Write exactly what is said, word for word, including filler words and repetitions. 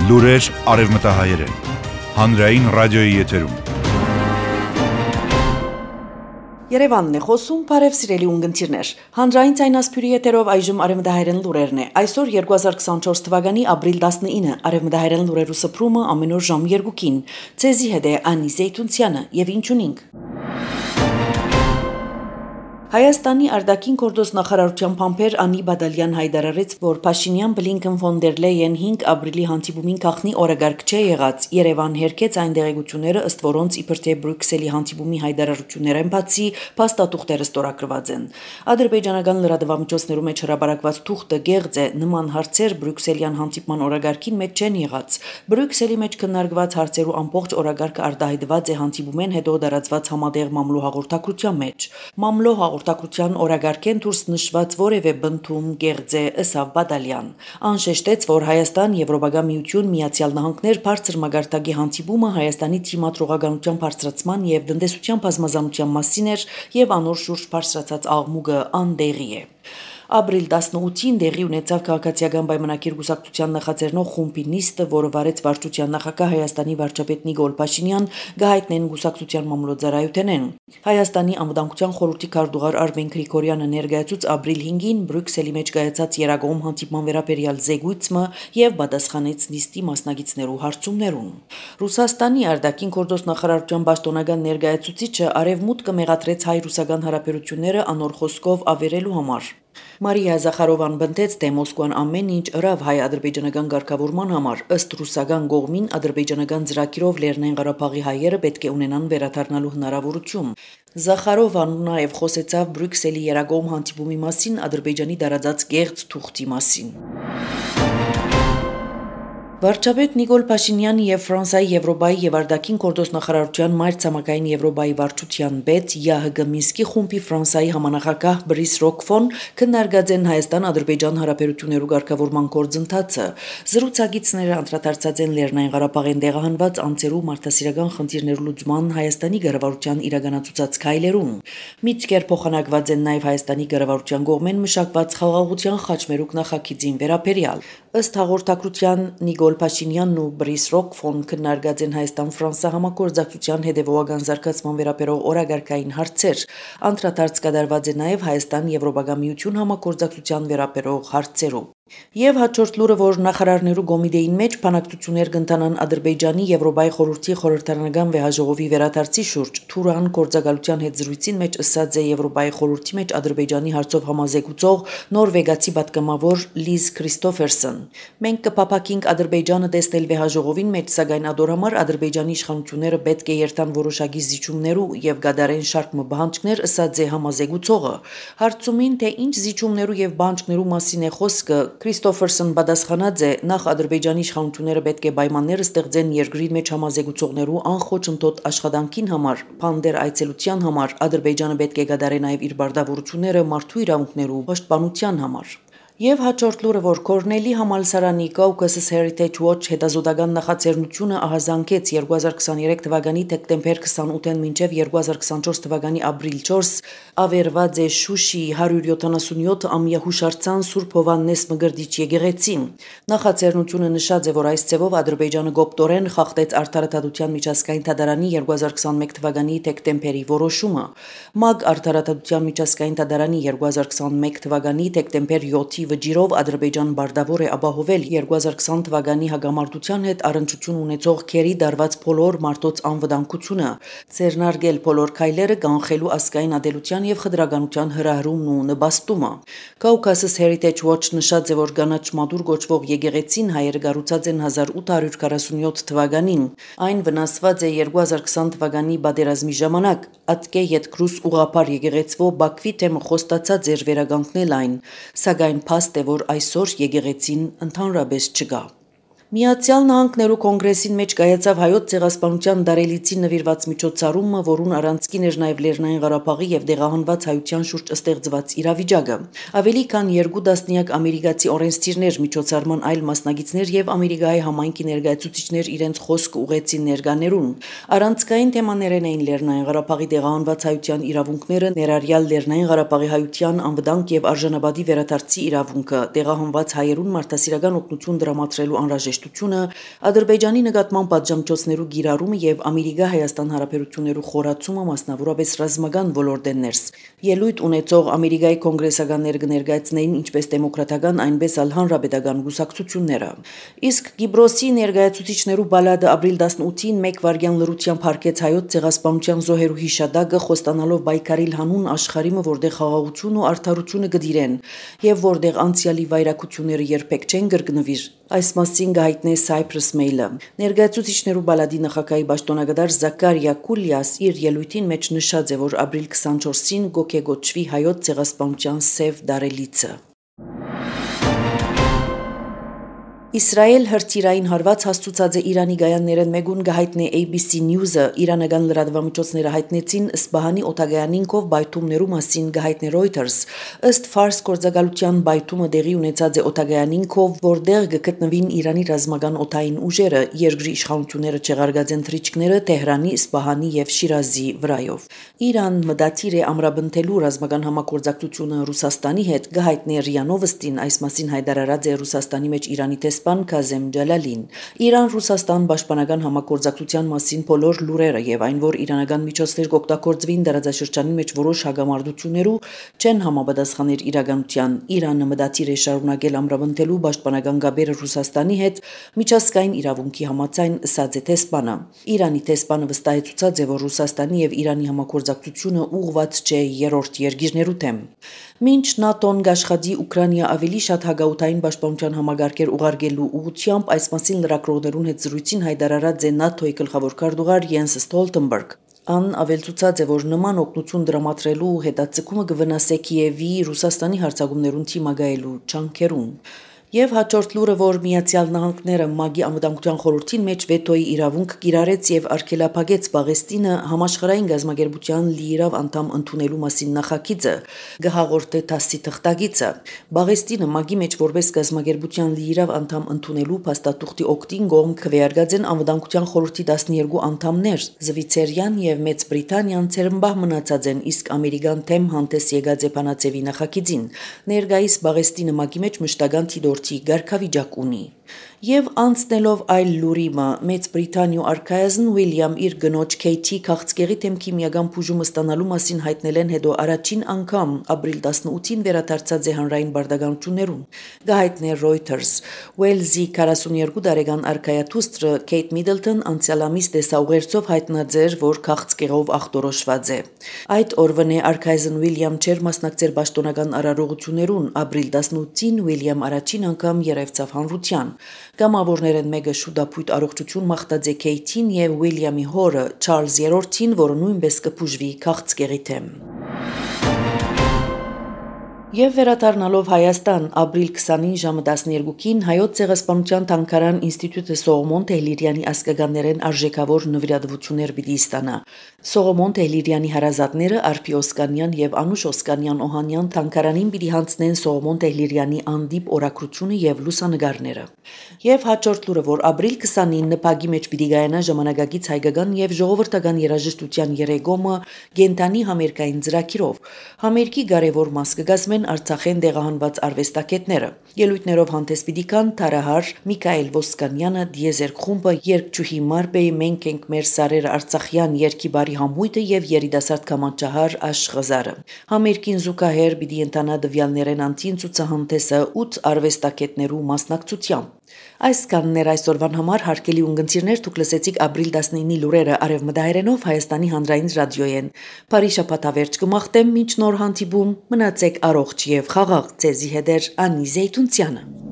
Լուրեր արևմտահայերեն, հանրային ռադիոյի եթերում։ Երևանն է խոսում, բարև սիրելի ունգընտիրներ։ Հանրային ցայնասփյուրի եթերով այժմ արևմտահայերեն լուրերն է։ Այսօր երկու հազար քսանչորս թվականի ապրիլ տասնինը արևմտահայերեն լուրերու սփռումը ամեն օր ժամ երկուին։ Ցեզի հետ է Անի Զեյթունցյանը եւ ինչ ունենք։ Հայաստանի արտաքին գործոս նախարարության փամփեր Անի Բադալյան հայտարարեց, որ Փաշինյան Բլինքեն ֆոն դեր Լեյեն հինգ ապրիլի հանդիպումին քաղնի օրագարկ չէ եղած։ Երևան հերքեց այն դեղեցությունները, ըստ որոնց իբր թե Բրյուսելի հանդիպումի հայտարարություններեն բացի փաստաթուղթերը ստորագրված են։ Ադրբեջանական լրատվամիջոցներում մեջ հրապարակված թուղթը գեղձ է, նման հարցեր Բրյուսելյան հանդիպման օրագարկին մեջ չեն եղած։ Բրյուսելի մեջ քննարկված հարցերու ամբողջ օրագարկը արտահայտված է հանդիպումեն հետո դարածված համատեղ մամլո հաղորդակցության մեջ։ Մամլո հաղորդակցության օրագարկեն դուրս նշված որևէ բնդում գեղձ է, ըսավ Բադալյան։ Անշեշտեց, որ Հայաստան, Եվրոպական միություն, Միացյալ Նահանգներ բարձր մագարտակի հանդիպումը Հայաստանի թիմադրողականության բարձրացման եւ տնտեսության բազմազանության մասին էր եւ անոր շուրջ բարձրացած աղմուկը անդեղի է։ Ապրիլ տասնութին դեղի ունեցավ քաղաքացիական պայմանագիր գուսակցության նախաձեռնող խումբի նիստը, որը վարեց վարչության նախագահ Հայաստանի վարչապետ Նիկոլ Փաշինյան, գահիտնեն գուսակցության մամլոյցարայութենեն։ Հայաստանի անվտանգության խորհրդի քարտուղար Արմեն Գրիգորյանը ներկայացուց ապրիլ հինգին Բրյուսելի մեջ կայացած երագոմ հանդիպման վերաբերյալ զեկույցը եւ պատասխանեց նիստի մասնակիցներու հարցումներուն։ Ռուսաստանի արտաքին գործոս նախարարության պաշտոնական ներկայացուցիչը արևմուտքը մեղադրեց հայ-ռուսական հարաբերությունները անոր խոսքով ավերելու համար։ Մարիա Զախարովան բնդեց, թե Մոսկվան ամեն ինչ ըրավ հայ-ադրբեջանական ղեկավարման համար, ըստ ռուսական կողմին ադրբեջանական ծրագիրով Լեռնային Ղարաբաղի հայերը պետք է ունենան վերադառնալու հնարավորություն։ Զախարովան նաև խոսեցավ Բրյուսելի երագոմ հանդիպումի մասին, Ադրբեջանի դարածած գեղձ թուղթի մասին։ Վարչապետ Նիկոլ Փաշինյանը եւ Ֆրանսիայի Եվրոպայի եւ արտաքին գործոս նախարարության մայրցամաքային Եվրոպայի վարչության պետ ԵԱՀԳ Մինսկի խումբի Ֆրանսիայի համանախագահ Բրիս Ռոկֆոն քննարկած են Հայաստան-Ադրբեջան հարաբերություններու ղեկավարման գործընթացը։ Զրուցակիցները անդրադարձած են Լեռնային Ղարաբաղին տեղահանված անձերու մարդասիրական խնդիրներու լուծման Հայաստանի կառավարության իրականացուցած քայլերուն։ Միտքեր փոխանակված են նաեւ Հայաստանի կառավարության կողմեն մշակված խաղաղության խաչմերուկ նախագծին վերաբերյալ։ Ըստ հաղորդակցության Նիկոլ Փաշինյանն ու Բրիս Ռոկֆոն քննարկած են Հայաստան-Ֆրանսիա համագործակցության հետևողական զարգացման վերաբերող օրագարկային հարցեր։ Անդրադարձ կատարված է նաև Հայաստան-Եվրոպական միություն համագործակցության վերաբերող հարցերով։ Եվ հաջորդ լուրը, որ նախարարներու կոմիտեին մեջ բանակցություններ կընթանան Ադրբեջանի Եվրոպայի խորհրդի խորհրդարանական վեհաժողովի վերադարձի շուրջ, Թուրան գործակալության հետ զրույցին մեջ ըսած է Եվրոպայի խորհրդի մեջ Ադրբեջանի հարցով համազեկուցող նորվեգացի պատգամավոր Լիզ Քրիստոֆերսն։ Մենք կփափակենք Ադրբեջանը տեսնել վեհաժողովին մեջ, սակայն ադոր համար Ադրբեջանի իշխանությունները պետք է երթան որոշակի զիջումներու եւ գադարեն շարք մբանջկներ, ըսած է համազեկուցողը։ Հարցումին, թե ինչ զիջումներու եւ բանջկներու մասին է խոսքը, Քրիստոֆերսն պատասխանած է, նախ Ադրբեջանի իշխանությունները պետք է պայմաններ ստեղծեն երկրի մեջ համազեկուցողներու անխոչընդոտ աշխատանքին համար, փանդեր այցելության համար, Ադրբեջանը պետք է գդարի նաև իր բարդավորությունները մարդու իրավունքներու պաշտպանության համար։ Եվ հաջորդ լուրը, որ Կորնելի համալսարանի Caucasus Heritage Watch հետազոտական նախաձեռնությունը ահազանգեց երկու հազար քսաներեք թվականի դեկտեմբեր քսանութին մինչև երկու հազար քսանչորս թվականի ապրիլ չորս ավերված է Շուշիի հարյուր յոթանասունյոթ ամյա հուշարձան Սուրբ Հովհաննես Մկրտիչ եկեղեցին։ Նախաձեռնությունը նշած է, որ այս ձևով Ադրբեջանը գոպտորեն խախտեց Արդարադատության միջազգային դատարանի երկու հազար քսանմեկ թվականի դեկտեմբերի որոշումը։ ՄԱԳ Արդարադատության միջազգային դատարանի երկու հազար քսանմեկ թվականի դեկտեմբեր յոթի վճիրով Ադրբեջան բարդավոր է ապահովել երկու հազար քսան թվականի հագամարտության հետ առնչություն ունեցող քերի դարված բոլոր մարդոց անվտանգությունը, ձեռնարկել բոլոր քայլերը կանխելու ազգային ադելության եւ խտրականության հրահրումն ու նպաստումը։ Caucasus Heritage Watch նշած է, որ Գանաչ Մադուր գոչվող եկեղեցին հայերը կառուցած են հազար ութ հարյուր քառասունյոթ թվականին։ Այն վնասված է երկու հազար քսան թվականի պատերազմի ժամանակ։ Ատկե յետքրուս ուղղափառ եկեղեցվո Բաքվի թեմը խոստացած էր վերականգնել այն, սակայն փաստ է, որ այսօր եկեղեցին ընդհանրապես չկա։ Միացյալ Նահանգներու կոնգրեսին մեջ կայացավ հայոց ցեղասպանության դարելիցի նվիրված միջոցառումը, որուն առանցքին էր նաև Լեռնային Ղարաբաղի եւ դեղահանված հայության շուրջ ստեղծված իրավիճակը։ Ավելի քան երկու տասնյակ ամերիկացի օրենսդիրներ, միջոցառման այլ մասնակիցներ եւ Ամերիկայի համայնքի ներկայացուցիչներ իրենց խոսք ուղեցին ներկաներուն։ Առանցքային թեմաներն էին Լեռնային Ղարաբաղի դեղահանված հայության իրավունքները, ներառյալ Լեռնային Ղարաբաղի հայության անվտանգ եւ արժանապատիվ վերադարձի իրավունքը, դեղահանված հայերուն մարդասիրական օգնություն դրամատրելու անհրաժեշտ երաժշտությունը, Ադրբեջանի նկատմամբ պատժամիջոցներու գիրառումը եւ Ամերիկա-Հայաստան հարաբերություններու խորացումը մասնավորապես ռազմական ոլորտ են ներս։ Ելույթ ունեցող Ամերիկայի կոնգրեսականներ կներկայացնեին ինչպես դեմոկրատական, այնպես էլ հանրապետական գուսակցությունները։ Իսկ Կիպրոսի ներկայացուցիչներու բալադը ապրիլ տասնութին մեկ վայրկյան լրությամբ հարկեց հայոց ցեղասպանության զոհերու հիշադակը խոստանալով պայքարիլ հանուն աշխարհիմը, որտեղ խաղաղություն ու արդարությունը կդիրեն եւ որտեղ անցյալի վայրակությունները երբեք չեն կրկնվիր։ Այս մասին գահիտնե Cyprus Mail-ը։ Ներկայացուցիչներու բալադի նախագահի պաշտոնագետար Զաքարիա Կուլիաս իր ելույթին մեջ նշած է, որ ապրիլ քսանչորսին գոկեգոճվի հայոց ցեղասպանության սև դարելիցը։ Իսրայել հրթիռային հարված հաստուցած է Իրանի գայաններեն մեկուն գահիտնե A B C News-ը իրանական լրատվամիջոցները հայտնեցին Սպահանի օտագայանինքով բայթումներու մասին գահիտնե Reuters ըստ Ֆարս գործակալության բայթումը դեղի ունեցած է օտագայանինքով, որտեղ գտնվին Իրանի ռազմական օդային ուժերը, երկրի իշխանությունները չեղարկած են թռիչքները Թեհրանի, Սպահանի եւ Շիրազի վրայով։ Իրան մտադիր է ամրապնդելու ռազմական համագործակցությունը Ռուսաստանի հետ գահիտնե Ռիա Նովոստին, այս մասին հայտարարած է Ռուսաստանի մեջ Իրանի տեսփան Քազեմ Ջալալին։ Իրան-Ռուսաստան պաշտպանական համագործակցության մասին բոլոր լուրերը եւ այն, որ իրանական միջոցներ կօգտագործվին դարաձաշրջանի մեջ որոշ հագամարտություններու, չեն համապատասխաներ իրականության։ Իրանը մտադիր է շարունակել ամրապնդելու պաշտպանական գաբերը Ռուսաստանի հետ միջազգային իրավունքի համաձայն, ըսած է տեսփանը։ Իրանի տեսփանը վստահեցուցած է, որ Ռուսաստանի եւ Իրանի համագործակցությունը ուղղված չէ երրորդ երկիրներու դեմ։ Մինչ ՆԱՏՕ-ն գաշխատի Ուկրաինա ավելի շատ հագաութային պաշտպանության համագարկեր ուղարկելու ուղղությամբ, այս մասին լրագրողներուն հետ զրույցին հայտարարած է ՆԱՏՕ-ի գլխավոր քարտուղար Յենս Ստոլտենբերգ։ Ան ավելցուցած է, որ նման օգնություն դրամատրելու հետաձգումը կվնասե Կիևի Ռուսաստանի հարձակումներուն թիմագայելու ջանքերուն։ Եվ հաջորդ լուրը, որ Միացյալ Նահանգները ՄԱԳ-ի անվտանգության խորհրդին մեջ վետոյի իրավունք կիրառեց եւ արգելափակեց Պաղեստինը համաշխարհային գազམ་ագերբության լիիրավ անդամ ընդունելու մասին նախագիծը, գահաղորդե ԹԱՍՍ-ի թղթագիծը։ Պաղեստինը ՄԱԳ-ի մեջ որպես գազམ་ագերբության լիիրավ անդամ ընդունելու փաստաթուղթի օգտին կողմ քվեարկած են անվտանգության խորհրդի տասներկու անդամներ, Զվիցերիան եւ Մեծ Բրիտանիան ցերմբահ մնացած են, իսկ Ամերիկան թեմ հանդես եկած է բանաձևի նախագիծին։ Ներկայիս Պաղեստինը ՄԱԳ-ի մեջ մշտական թիդորթի գարկավիճակ ունի։ Եվ անցնելով այլ լուրիմը, Մեծ Բրիտանիու արքայազն Ուիլյամ իր գնոջ Քեյթի քաղցկեղի թեմ քիմիական բուժումը ստանալու մասին հայտնել են հետո առաջին անգամ ապրիլ տասնութին վերադարձած է հանրային բարդականություններուն։ Գահիտնե Reuters Ուելզի քառասունյոթ տարեկան արքայաթուստրը Քեյթ Միդլտոն անցյալ ամիս տեսաուղերձով հայտնած էր, որ քաղցկեղով ախտորոշված է։ Այդ օրվան է արքայազն Ուիլյամ չեր մասնակցել պաշտոնական արարողություններուն։ Ապրիլ տասնութին Ուիլյամ առաջին անգամ երևցավ հանրության։ Կամավորներեն մեկը շուտապույտ առողջություն մաղթած է Քեյթին եւ Ուիլյամի հորը Չարլզ երրորդին, որը նույնպես կբուժվի քաղցկեղի թեմ։ Եվ վերադառնալով Հայաստան, ապրիլ քսանին ժամը տասներկուին հայոց ցեղասպանության թանգարան ինստիտուտը Սողոմոն Թեհլիրյանի ասկագաններեն արժեքավոր նվիրատվություններ պիտի ստանա։ Սողոմոն Թեհլիրյանի հարազատները Արփի Օսկանյան եւ Անուշ Օսկանյան Օհանյան թանգարանին պիտի հանձնեն Սողոմոն Թեհլիրյանի անդիպ օրակրությունը եւ լուսանգարները։ Եվ հաջորդ լուրը, որ ապրիլ քսանին նպագի մեջ պիտի գայանա ժամանակակից հայկական եւ ժողովրդական երաժշտության երեգոմը Գենտանի համերգային ծրագիրով։ Համերգի կարևոր մաս կգազմեն Արցախեն դեղահանված արվեստագետները։ Ելույթներով հանդես պիտի կան Թարահար Միքայել Ոսկանյանը, Դիեզերք խումբը, երգչուհի Մարբեի Մենք ենք մեր սարերը Արցախյան երգի բարի համույթը եւ երիտասարդ կամաճահար Աշխղզարը։ Համերգին զուգահեռ պիտի ընթանա դվյալներեն անտին ցուցահանդեսը ութ արվեստագետներու մասնակցությամբ։ Այս կաններ այսօրվան համար հարգելի ունգընտիրներ, դուք լսեցիք ապրիլ տասնինի լուրերը արևմտահայերենով Հայաստանի հանրային ռադիոյեն։ Բարի շաբաթավերջ կմաղթեմ, մինչ նոր հանդիպում, մնացեք առողջ եւ խաղաղ, ձեզի հետ է Անի Զեյթունցյանը։